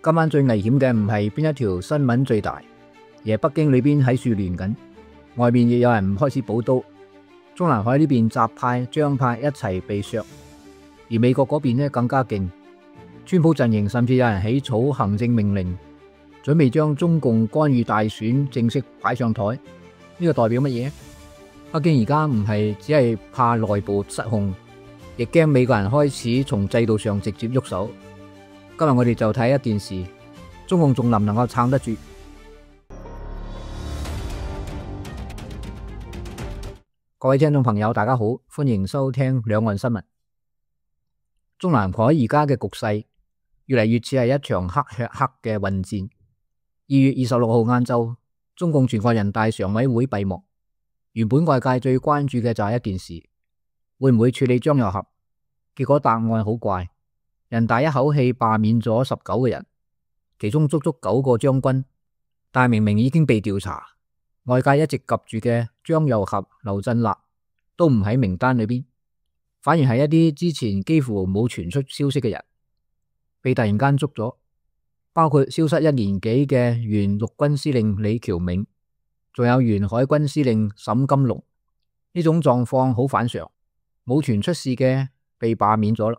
今晚最危險嘅唔係邊一條新聞最大，而係北京裏邊喺處亂緊，外面亦有人開始補刀。中南海呢邊習派、張派一齊被削，而美國嗰邊呢更加勁，川普陣營甚至有人起草行政命令，準備將中共干預大選正式擺上台。呢個代表乜嘢？北京而家唔係只係怕內部失控，亦驚美國人開始從制度上直接喐手。今日我哋就睇一件事，中共仲能唔能夠撐得住？各位聽眾朋友，大家好，歡迎收聽兩岸新聞。中南海而家嘅局勢越嚟越似係一場黑吃黑嘅混戰。2月26號晏晝，中共全國人大常委會閉幕。原本外界最關注嘅就係一件事，會唔會處理張又俠？結果答案好怪，人大一口氣罷免咗19個人，其中足足9個將軍，但明明已經被調查。外界一直及住嘅張又俠、劉振立都唔喺名單裏邊，反而係一啲之前幾乎冇傳出消息嘅人被突然間捉咗，包括消失1年幾嘅原陸軍司令李喬銘，仲有原海軍司令沈金龍。呢種狀況好反常，冇傳出事嘅被罷免咗啦，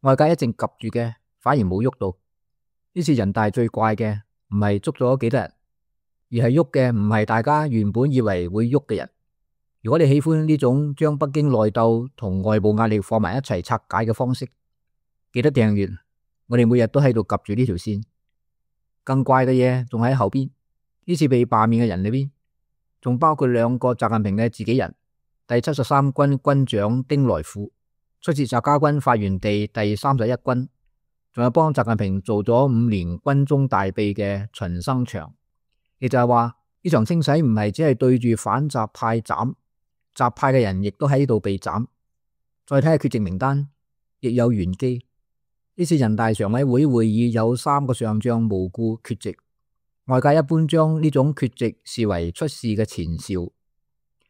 外界一直及住嘅反而冇喐到。呢次人大最怪嘅唔係捉咗幾多人，而係喐嘅唔係大家原本以為會喐嘅人。如果你喜歡呢種將北京內鬥同外部壓力放埋一齊拆解嘅方式，記得訂閱，我哋每日都喺度及住呢條線。更怪嘅嘢仲喺後邊，呢次被罷免嘅人裏邊，仲包括2個習近平嘅自己人，第73軍軍長丁來富，出自習家軍發源地第31軍，仲有幫習近平做咗5年軍中大秘嘅秦生祥。亦就係話呢場清洗唔係只係對住反習派斬，習派嘅人亦都喺度被斬。再睇下缺席名單，亦有玄機。呢次人大常委會會議有3個上將無故缺席，外界一般將呢種缺席視為出事嘅前兆。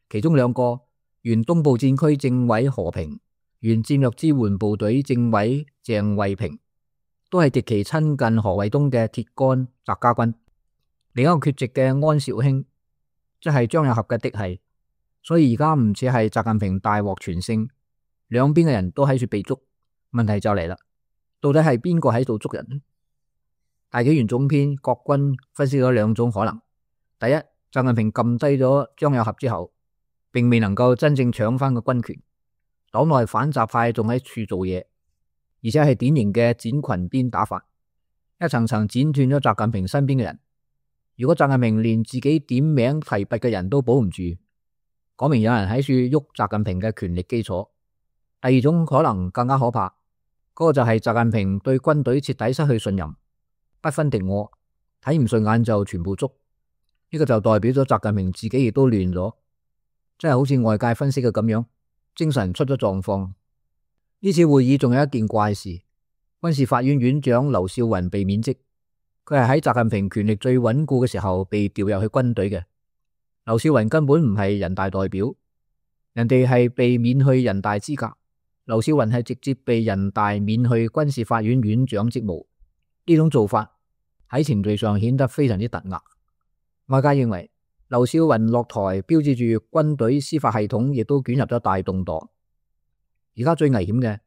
其中2個原東部戰區政委何平、原戰略支援部隊政委鄭慧平，都係極其親近何衛東嘅鐵桿習家軍。另一個缺席嘅安紹興，即係張又俠嘅嫡系，所以而家唔似係習近平大獲全勝，兩邊嘅人都喺處被捉。問題就嚟啦，到底係邊個喺度捉人呢？大紀元總編郭軍分析咗2種可能。第一，習近平撳低咗張又俠之後，並未能夠真正搶翻個軍權，黨內反習派仲喺處做嘢，而且係典型嘅剪裙邊打法，一層層剪斷咗習近平身邊嘅人。如果習近平連自己點名提拔嘅人都保唔住，講明有人喺處喐習近平嘅權力基礎。第二種可能更加可怕，嗰個就係習近平對軍隊徹底失去信任，不分敵我，睇唔順眼就全部捉。呢個就代表咗習近平自己亦都亂咗，真係好似外界分析嘅咁樣，精神出咗狀況。呢次會議仲有一件怪事，軍事法院院長劉少雲被免職。佢係喺習近平權力最穩固嘅時候被調入去軍隊嘅。劉少雲根本唔係人大代表，人哋係被免去人大資格，劉少雲係直接被人大免去軍事法院院長職務。呢種做法喺程序上顯得非常之突兀。外界認為劉少雲落台標誌住軍隊司法系統亦都捲入咗大動盪。而家最危險嘅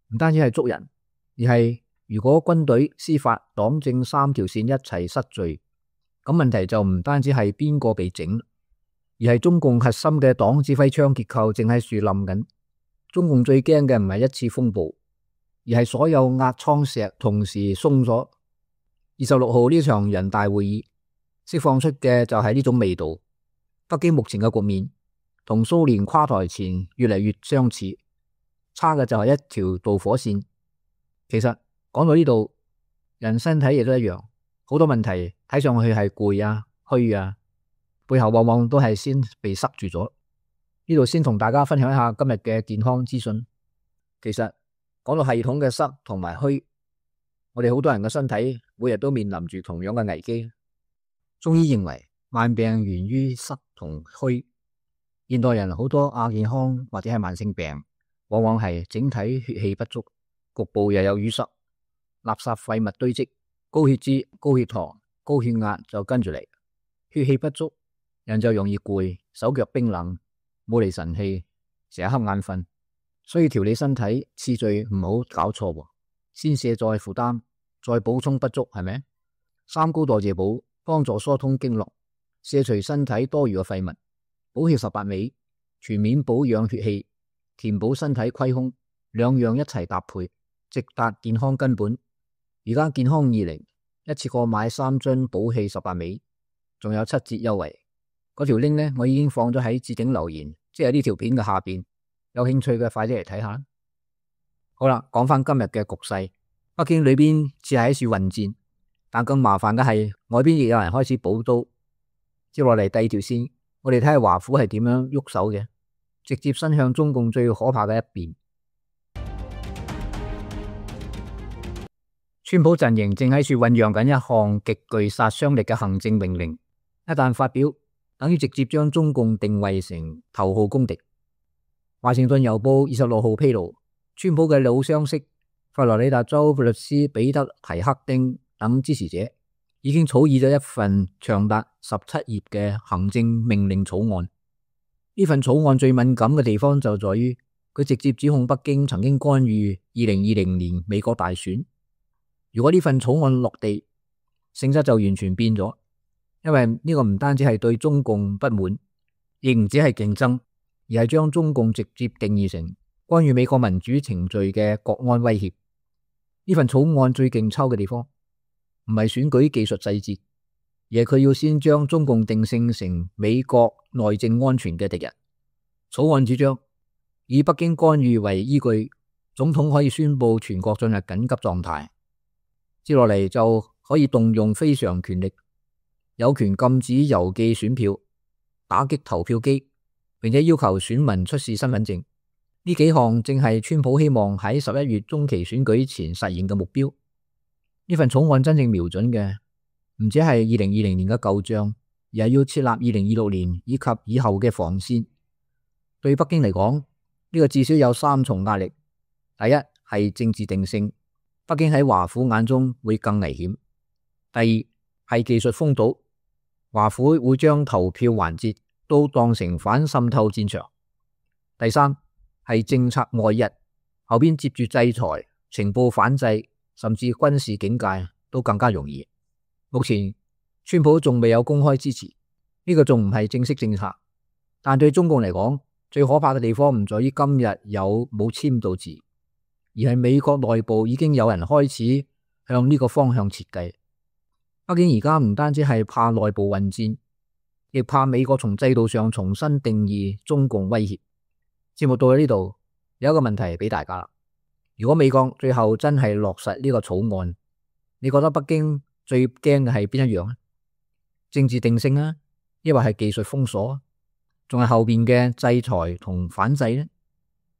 唔單止係捉人，而係如果軍隊、司法、黨政3條線一齊失序，咁問題就唔單止係邊個被整，而係中共核心嘅黨指揮槍結構正喺樹冧緊。中共最驚嘅唔係一次風暴，而係所有壓艙石同時鬆咗。26號呢場人大會議釋放出嘅就係呢種味道。北京目前嘅局面同蘇聯垮台前越嚟越相似，差嘅就係一條導火線。其實講到呢度，人身體亦都一樣，好多問題睇上去係攰啊、虛啊，背後往往都係先被塞住咗。呢度先同大家分享一下今日嘅健康資訊。其實講到系統嘅塞同埋虛，我哋好多人嘅身體每日都面臨住同樣嘅危機。中醫認為慢病源於塞同虛，現代人好多亞健康或者係慢性病，往往係整體血氣不足，局部又有淤塞，垃圾廢物堆積，高血脂、高血糖、高血壓就跟住嚟，血氣不足，人就容易攰，手腳冰冷，冇嚟神氣，成日瞌眼瞓。所以調理身體次序唔好搞錯喎，先卸載負擔，再補充不足，係咪？三高代謝補幫助疏通經絡，卸除身體多餘嘅廢物，補血18味，全面保養血氣，填補身體虧空，兩樣一齊搭配，直達健康根本。而家健康20一次過買3樽補氣18味，仲有7折優惠。嗰條 link 呢，我已經放咗喺置頂留言，即係呢條片嘅下邊。有興趣嘅快啲嚟睇下。好啦，講翻今日嘅局勢，北京裏邊只係喺處混戰，但更麻煩嘅係外邊亦有人開始補刀。接落嚟第二條線，我哋睇下華府係點樣喐手嘅，直接伸向中共最可怕嘅一邊。川普陣營正喺處醞釀緊一項極具殺傷力嘅行政命令，一旦發表，等於直接將中共定位成頭號公敵。華盛頓郵報26號披露，川普嘅老相識佛羅里達州律師彼得提克丁等支持者已經草擬咗一份長達17頁嘅行政命令草案。呢份草案最敏感嘅地方就在於佢直接指控北京曾經干預2020年美國大選。如果呢份草案落地，性質就完全變咗，因為呢個唔單止係對中共不滿，亦唔止係競爭，而係將中共直接定義成干預美國民主程序嘅國安威脅。呢份草案最勁抽嘅地方，唔係選舉技術細節，而係佢要先將中共定性成美國內政安全嘅敵人。草案主張以北京干預為依據，總統可以宣布全國進入緊急狀態，接落嚟就可以動用非常權力，有權禁止郵寄選票，打擊投票機，並且要求選民出示身份證。呢幾項正係川普希望喺11月中期選舉前實現嘅目標。呢份草案真正瞄準嘅唔止係2020年嘅舊賬，而係要設立2026年以及以後嘅防線。對北京嚟講，呢個至少有3重壓力。第一係政治定性，北京喺華府眼中會更危險。第二係技術封堵，華府會將投票環節都當成反滲透戰場。第三係政策外溢，後邊接住制裁、情報反制，甚至軍事警戒都更加容易。目前川普仲未有公開支持，呢個仲唔係正式政策。但對中共嚟講，最可怕嘅地方唔在於今日有冇簽到字，而係美國內部已經有人開始向呢個方向設計。北京而家唔單止係怕內部混戰，亦怕美國從制度上重新定義中共威脅。節目到咗呢度，有一個問題俾大家啦。如果美國最後真係落實呢個草案，你覺得北京最驚嘅係邊一樣呢？政治定性啊，抑或係技術封鎖，仲係後邊嘅制裁同反制呢？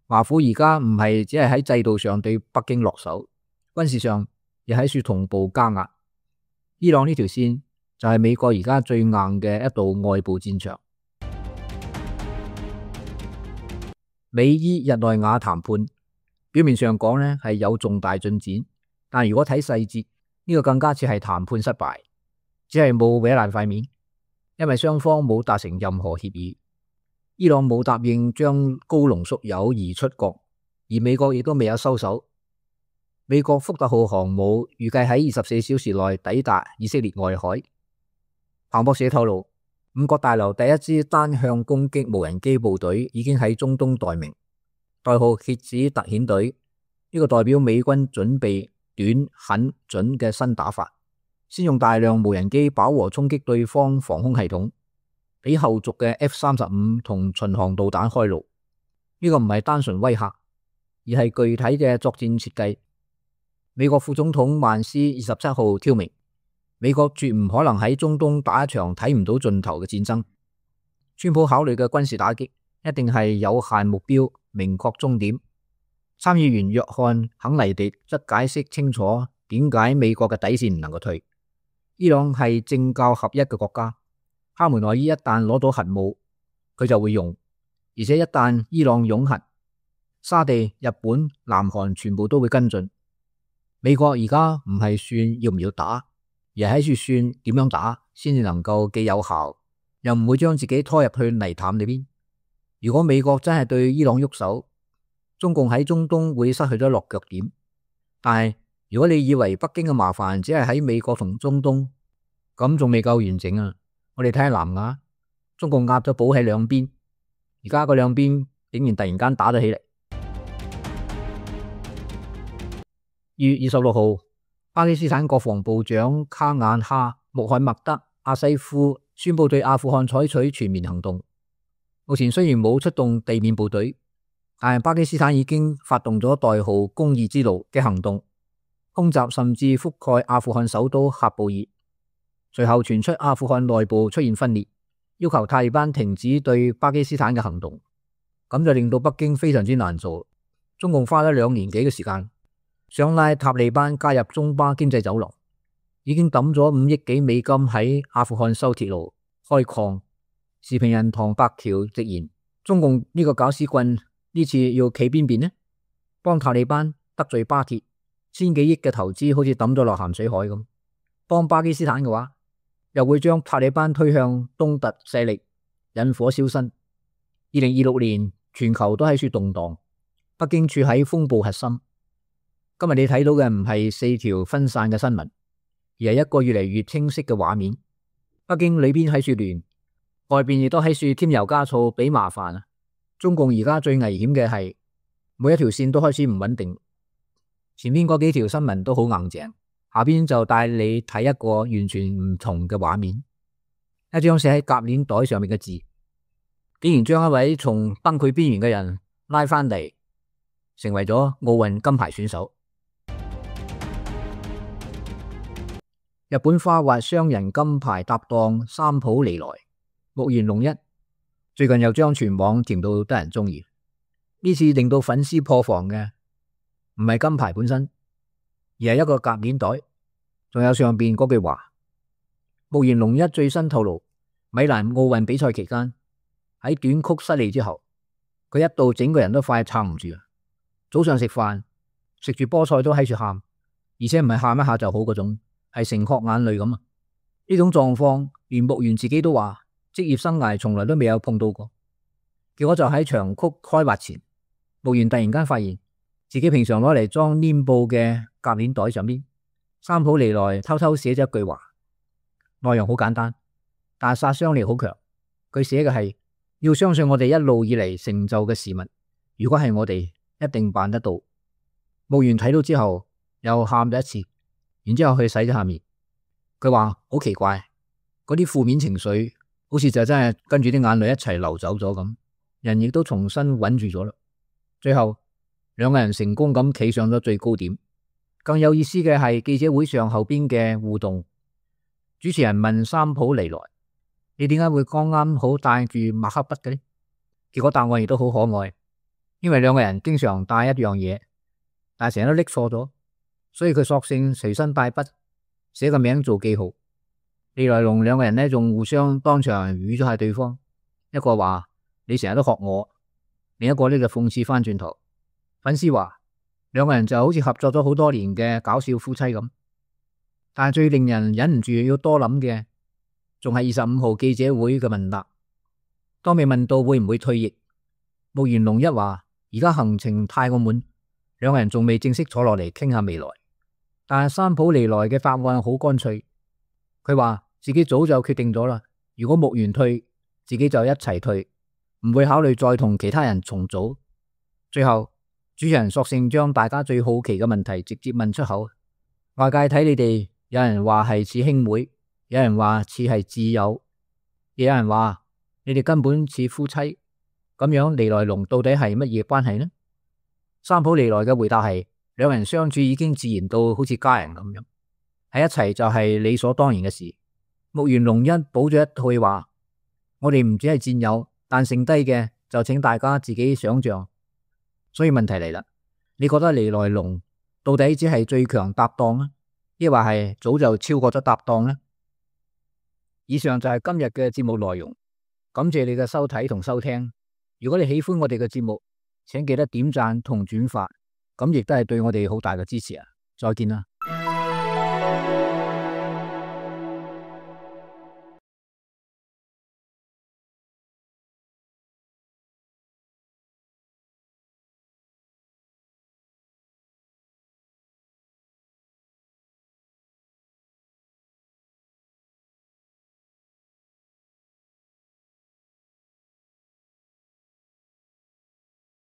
華府而家唔係只係喺制度上對北京落手，軍事上亦喺處同步加壓。伊朗呢條線就係美國而家最硬嘅一道外部戰場。美伊日內瓦談判表面上講呢係有重大進展，但如果睇細節，呢個更加似係談判失敗，只係冇搲爛塊面，因為雙方冇達成任何協議。伊朗冇答應將高濃縮鈾移出國，而美國亦都未有收手。美國福特號航母預計喺24小時內抵達以色列外海。彭博社透露，五角大樓第一支單向攻擊無人機部隊已經喺中東待命，代號蠍子特遣隊。呢個代表美軍準備短、狠、準嘅新打法，先用大量無人機飽和衝擊對方防空系統，俾後續嘅 F-35同巡航導彈開路。呢個唔係單純威嚇，而係具體嘅作戰設計。美國副總統萬斯27號挑明，美國絕唔可能喺中東打一場睇唔到盡頭嘅戰爭。川普考慮嘅軍事打擊一定係有限目標，明確終點。參議員約翰肯尼迪則解釋清楚點解美國嘅底線唔能夠退。伊朗係政教合一嘅國家，哈梅內伊一旦攞到核武，佢就會用，而且一旦伊朗擁核，沙地、日本、南韓全部都會跟進。美國而家唔係算要唔要打，而係喺處算點樣打先至能夠既有效，又唔會將自己拖入去泥潭裏邊。如果美國真係對伊朗喐手，中共喺中東會失去咗落腳點。但係如果你以為北京嘅麻煩只係喺美國同中東，咁仲未夠完整啊！我哋睇下南亞，中共壓咗寶喺兩邊，而家個兩邊竟然突然間打咗起嚟。2月26號，巴基斯坦國防部長卡眼哈·穆罕默德·阿西夫宣布對阿富汗採取全面行動。目前雖然冇出動地面部隊，但係巴基斯坦已經發動咗代號公義之路嘅行動，空襲甚至覆蓋阿富汗首都喀布爾。隨後傳出阿富汗內部出現分裂，要求塔利班停止對巴基斯坦嘅行動，咁就令到北京非常之難做。中共花咗2年幾嘅時間，想拉塔利班加入中巴經濟走廊，已經抌咗5億幾美金喺阿富汗修鐵路、開礦。時評人唐伯橋直言，中共呢個搞屎棍呢次要企邊邊呢？幫塔利班得罪巴鐵，1000幾億嘅投資好似抌咗落鹹水海咁。幫巴基斯坦嘅話，又會將塔利班推向東突勢力，引火燒身。2026年全球都喺處動盪，北京處喺風暴核心。今日你睇到嘅唔係4條分散嘅新聞，而係一個越嚟越清晰嘅畫面。北京裏邊喺處亂，外邊亦都喺處添油加醋俾麻煩啊！中共而家最危險嘅係每一條線都開始唔穩定，前面嗰幾條新聞都好硬淨，下邊就帶你睇一個完全唔同嘅畫面。一張寫喺夾鏈袋上面嘅字，竟然將一位從崩潰邊緣嘅人拉翻嚟，成為咗奧運金牌選手。日本花滑雙人金牌搭檔三浦璃來、木原龍一最近又將全網甜到得人中意。呢次令到粉絲破防嘅唔係金牌本身，而係一個夾鏈袋，仲有上邊嗰句話。木原龍一最新透露，米蘭奧運比賽期間喺短曲失利之後，佢一度整個人都快撐唔住。早上食飯食住菠菜都喺處喊，而且唔係喊一下就好嗰種，係成顆眼淚咁啊！呢種狀況連木原自己都話，職業生涯從來都未有碰到過。結果就喺長曲開滑前，木原突然間發現自己平常攞嚟裝黏布嘅夾鏈袋上面，三浦璃來偷偷寫咗一句話，內容好簡單，但係殺傷力好強。佢寫嘅係要相信我哋一路以嚟成就嘅事物，如果係我哋一定辦得到。木原睇到之後又喊咗一次，然之後去洗咗下面。佢話好奇怪，嗰啲負面情緒好似就真係跟住啲眼淚一齊流走咗咁，人亦都重新穩住咗啦。最後兩個人成功咁企上咗最高點。更有意思嘅係記者會上後邊嘅互動，主持人問三浦璃來，你點解會剛啱好帶住墨克筆嘅呢？結果答案亦都好可愛，因為兩個人經常帶一樣嘢，但係成日都拎錯咗，所以佢索性隨身帶筆，寫個名做記號。利來龍兩個人呢仲互相當場語咗下對方，一個話你成日都學我，另一個呢就諷刺翻轉頭。粉絲話兩個人就好似合作咗好多年嘅搞笑夫妻咁。但係最令人忍唔住要多諗嘅，仲係25號記者會嘅問答。當被問到會唔會退役，木原龍一話而家行程太過滿，兩個人仲未正式坐落嚟傾下未來。但係三浦璃來嘅答案好乾脆，佢話自己早就決定咗啦，如果木原退，自己就一齊退，唔會考慮再同其他人重組。最後主持人索性將大家最好奇嘅問題直接問出口。外界睇你哋，有人話係似兄妹，有人話似係摯友，亦有人話你哋根本似夫妻。咁樣璃來龍到底係乜嘢關係呢？三浦璃來嘅回答係，兩人相處已經自然到好似家人咁樣，喺一齊就係理所當然嘅事。木原龍一補咗一句話，我哋唔只係戰友，但剩低嘅就請大家自己想象。所以問題嚟啦，你覺得璃來龍到底只係最強搭檔啊，抑或係早就超過咗搭檔呢？以上就係今日嘅節目內容，感謝你嘅收睇同收聽。如果你喜歡我哋嘅節目，請記得點讚同轉發，咁亦都係對我哋好大嘅支持啊！再見啦。